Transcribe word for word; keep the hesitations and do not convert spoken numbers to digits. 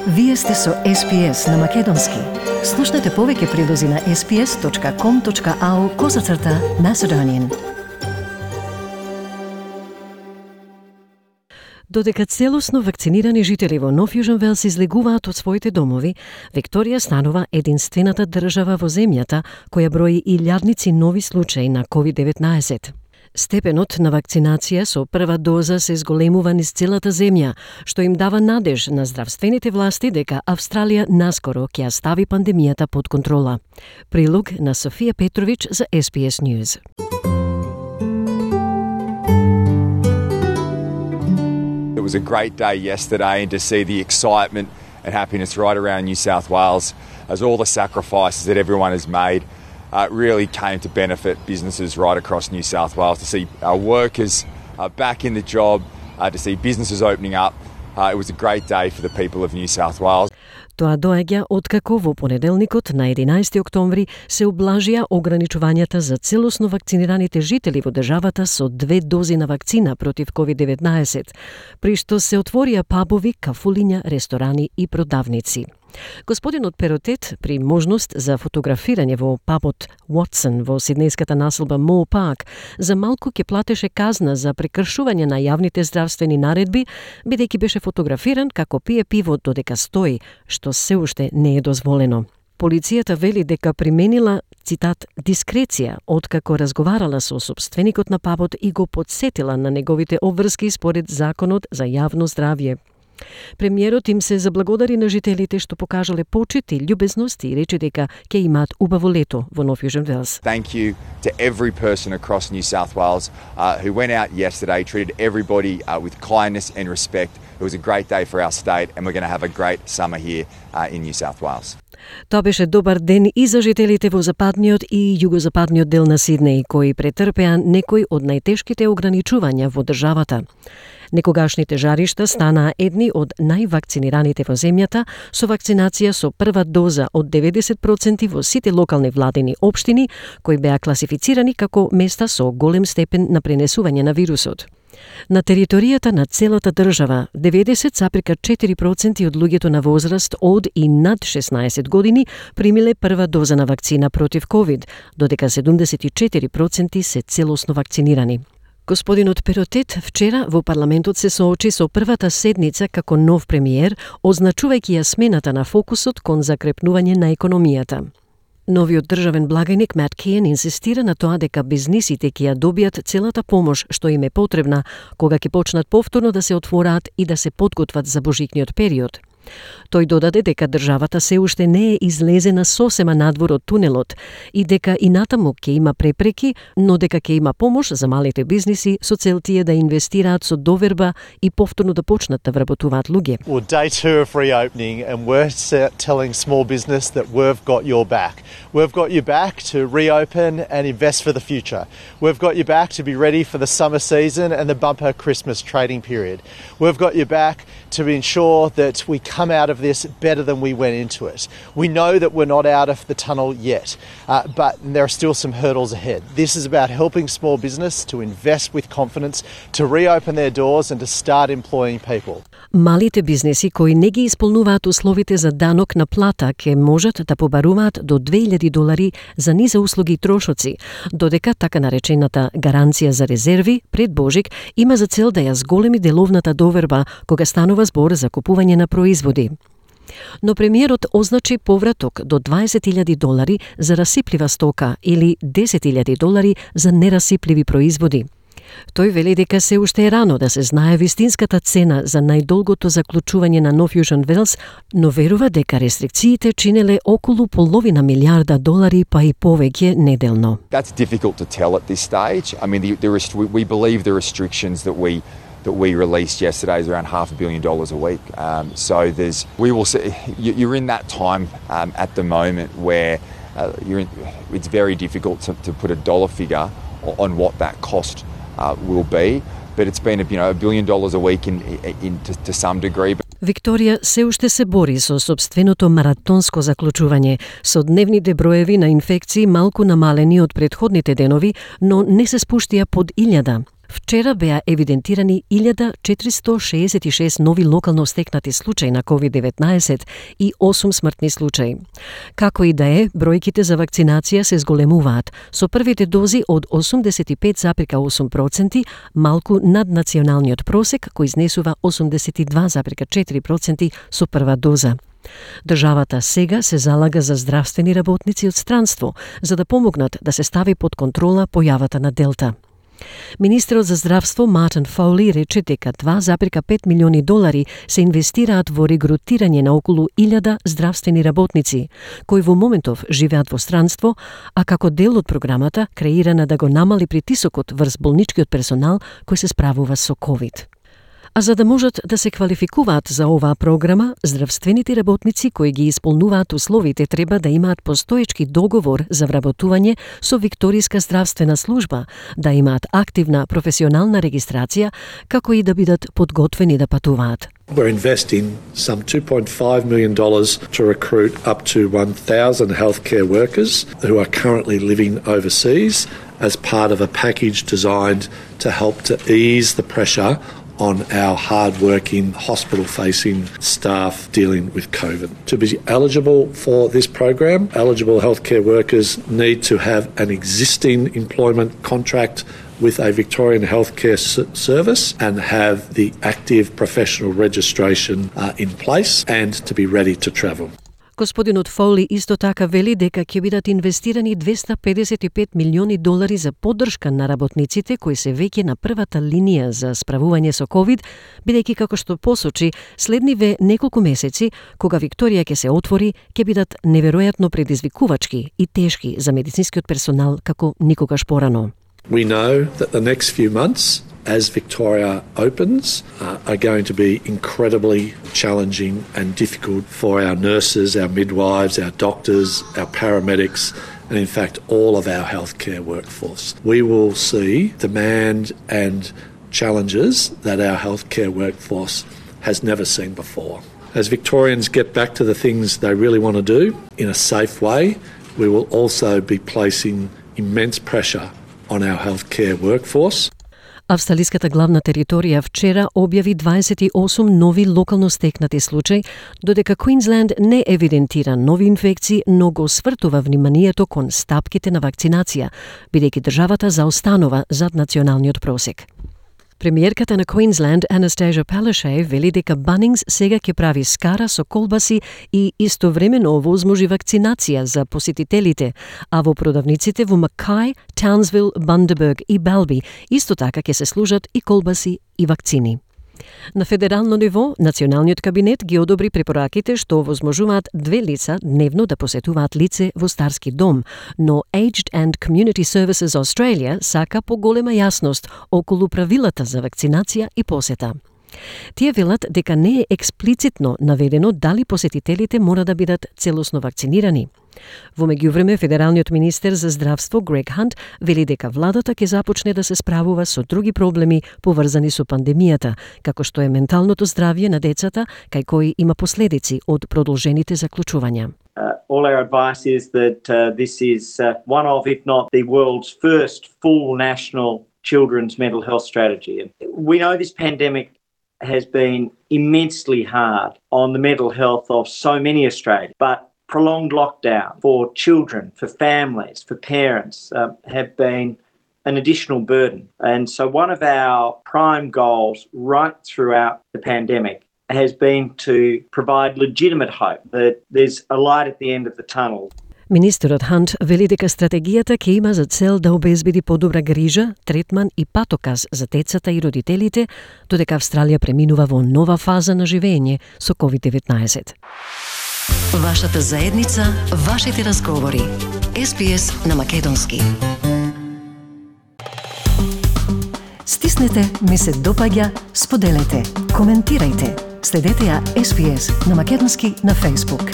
Вие сте со Ес Пи Ес на Македонски. Слушнете повеќе прилози на ес пи ес точка ком точка ау козацрта Macedonian. Додека целосно вакцинирани жители во Нов Јужен Велс излегуваат од своите домови, Викторија станува единствената држава во земјата која брои илјадници нови случаи на ковид деветнаесет. Степенот на вакцинација со прва доза се зголемува низ целата земја, што им дава надеж на здравствените власти дека Австралија наскоро ќе ја стави пандемијата под контрола. Прилог на Софија Петрович за Ес Пи Ес News. It was a great day yesterday, and to see the excitement and happiness right around New South Wales as all the sacrifices that everyone has made uh, really came to benefit businesses right across New South Wales. To see our workers uh, back in the job, uh, to see businesses opening up, uh, it was a great day for the people of New South Wales. Тоа доаѓа откако во понеделникот на единаесети октомври се облажија ограничувањата за целосно вакцинираните жители во државата со две дози на вакцина против ковид деветнаесет, при што се отворија пабови, кафулиња, ресторани и продавници. Господинот Перотет, при можност за фотографирање во пабот Уотсон во сиднејската населба Мо Парк, за малку ќе платеше казна за прекршување на јавните здравствени наредби, бидејќи беше фотографиран како пие пиво додека стои, што се уште не е дозволено. Полицијата вели дека применила, цитат, дискреција, откако разговарала со сопственикот на пабот и го подсетила на неговите обврски според Законот за јавно здравје. Премиерот им се заблагодари на жителите што покажале почит и љубезност и рече дека ќе имаат убаво лето во Нов Јужен Велс. Thank you to every person across New South Wales uh, who went out yesterday, treated everybody uh, with kindness and respect. It was a great day for our state, and we're going to have a great summer here uh, in New South Wales. Тоа беше добар ден и за жителите во западниот и југозападниот дел на Сиднеј, кои претрпеа некои од најтешките ограничувања во државата. Некогашните жаришта станаа едни од највакцинираните во земјата, со вакцинација со прва доза од деветдесет проценти во сите локални владени општини, кои беа класифицирани како места со голем степен на пренесување на вирусот. На територијата на целата држава, деветдесет запир четири проценти од луѓето на возраст од и над шеснаесет години примиле прва доза на вакцина против ковид, додека седумдесет и четири проценти се целосно вакцинирани. Господинот Перотет вчера во парламентот се соочи со првата седница како нов премиер, означувајќи ја смената на фокусот кон закрепнување на економијата. Новиот државен благајник Мат Кејн инсистира на тоа дека бизнисите ќе ја добијат целата помош што им е потребна кога ќе почнат повторно да се отвораат и да се подготват за божикниот период. Тој додаде дека државата се уште не е излезена сосема надвор од тунелот и дека и натаму ќе има препреки, но дека ќе има помош за малите бизниси со цел тие да инвестираат со доверба и повторно да почнат да вработуваат луѓе. Well, day two of reopening, and we're telling small business that we've got your back. We've got your back to reopen and invest for the future. We've got your back to be ready for the summer season and the bumper Christmas trading period. We've got your back to ensure that we come out of this better than we went into it. We know that we're not out of the tunnel yet, uh, but there are still some hurdles ahead. This is about helping small business to invest with confidence, to reopen their doors and to start employing people. Малите бизнеси кои не ги исполнуваат условите за данок на плата ќе можат да побаруваат до две илјади долари за низа услуги и трошоци, додека така наречената гаранција за резерви пред Божик има за цел да ја зголеми деловната доверба кога станува збор за купување на производи. Но премиерот означи повраток до дваесет илјади долари за расиплива стока или десет илјади долари за нерасипливи производи. Тој вели дека се уште е рано да се знае вистинската цена за најдолгото заклучување на Нов Јужен Велс, но верува дека рестрикциите чинеле околу половина милиарда долари па и повеќе неделно. That's difficult to tell at this stage. I mean, the, the rest, we believe the restrictions that we that we released yesterday is around half a billion dollars a week. Um, so there's, we will see, you're in that time um, at the moment where uh, you're in, it's very difficult to, to put a dollar figure on what that cost uh, will be. But it's been, a, you know, a billion dollars a week in, in to, to some degree. Викторија се уште се бори со собственото маратонско заклучување, со дневните броеви на инфекции малку намалени од претходните денови, но не се спуштија под илјада. Вчера беа евидентирани илјада четиристо шеесет и шест нови локално стекнати случаи на ковид деветнаесет и осум смртни случаи. Како и да е, бројките за вакцинација се зголемуваат, со првите дози од осумдесет и пет зарез и осум проценти, малку над националниот просек кој изнесува осумдесет и два зарез и четири проценти со прва доза. Државата сега се залага за здравствени работници од странство, за да помогнат да се стави под контрола појавата на Делта. Министерот за здравство Мартин Фоули рече дека два зарез и пет милиони долари се инвестираат во регрутирање на околу илјада здравствени работници, кои во моментов живеат во странство, а како дел од програмата креирана да го намали притисокот врз болничкиот персонал кој се справува со ковид. А за да можат да се квалификуваат за оваа програма, здравствените работници кои ги исполнуваат условите треба да имаат постоечки договор за вработување со Викторијска здравствена служба, да имаат активна професионална регистрација, како и да бидат подготвени да патуваат. We're investing some two point five million dollars to recruit up to one thousand healthcare workers who are currently living overseas as part of a package designed to help to ease the pressure on our hard-working, hospital-facing staff dealing with COVID. To be eligible for this program, eligible healthcare workers need to have an existing employment contract with a Victorian healthcare service and have the active professional registration uh, in place and to be ready to travel. Господинот Фоули исто така вели дека ќе бидат инвестирани двесте педесет и пет милиони долари за поддршка на работниците кои се веќе на првата линија за справување со ковид, бидејќи како што посочи, следниве неколку месеци, кога Викторија ќе се отвори, ќе бидат неверојатно предизвикувачки и тешки за медицинскиот персонал како никогаш порано. We know that the next few months, as Victoria opens, uh, are going to be incredibly challenging and difficult for our nurses, our midwives, our doctors, our paramedics, and in fact all of our healthcare workforce. We will see demand and challenges that our healthcare workforce has never seen before. As Victorians get back to the things they really want to do in a safe way, we will also be placing immense pressure on our healthcare workforce. Австралиската главна територија вчера објави дваесет и осум нови локално стекнати случаи, додека Квинсленд не евидентира нови инфекции, но го свртува вниманието кон стапките на вакцинација, бидејќи државата заостанува зад националниот просек. Премиерката на Квинсленд, Анастасија Палашај, вели дека Bunnings сега ќе прави скара со колбаси и истовремено овозможи вакцинација за посетителите, а во продавниците во Макај, Таунсвил, Бандерберг и Белби исто така ќе се служат и колбаси и вакцини. На федерално ниво, националниот кабинет ги одобри препораките што овозможуваат две лица дневно да посетуваат лице во старски дом, но Aged and Community Services Australia сака поголема јасност околу правилата за вакцинација и посета. Тие велат дека не е експлицитно наведено дали посетителите мора да бидат целосно вакцинирани. Во меѓувреме, федералниот министер за здравство Грег Хант вели дека владата ќе започне да се справува со други проблеми поврзани со пандемијата, како што е менталното здравје на децата, кај кои има последици од продолжените заклучувања. Uh, all our advice is that uh, this is uh, one of, if not the world's first full national children's mental health strategy. We know this pandemic has been immensely hard on the mental health of so many Australians, but prolonged lockdown for children, for families, for parents uh, have been an additional burden. And so one of our prime goals right throughout the pandemic has been to provide legitimate hope that there's a light at the end of the tunnel. Министерот Хант вели дека стратегијата ќе има за цел да обезбеди подобра грижа, третман и патоказ за децата и родителите, додека Австралија преминува во нова фаза на живење со ковид деветнаесет. Вашата заедница, вашите разговори. Ес Би Ес на македонски. Стиснете, ми се допаѓа, споделете, коментирајте. Следете ја Ес Би Ес на македонски на Facebook.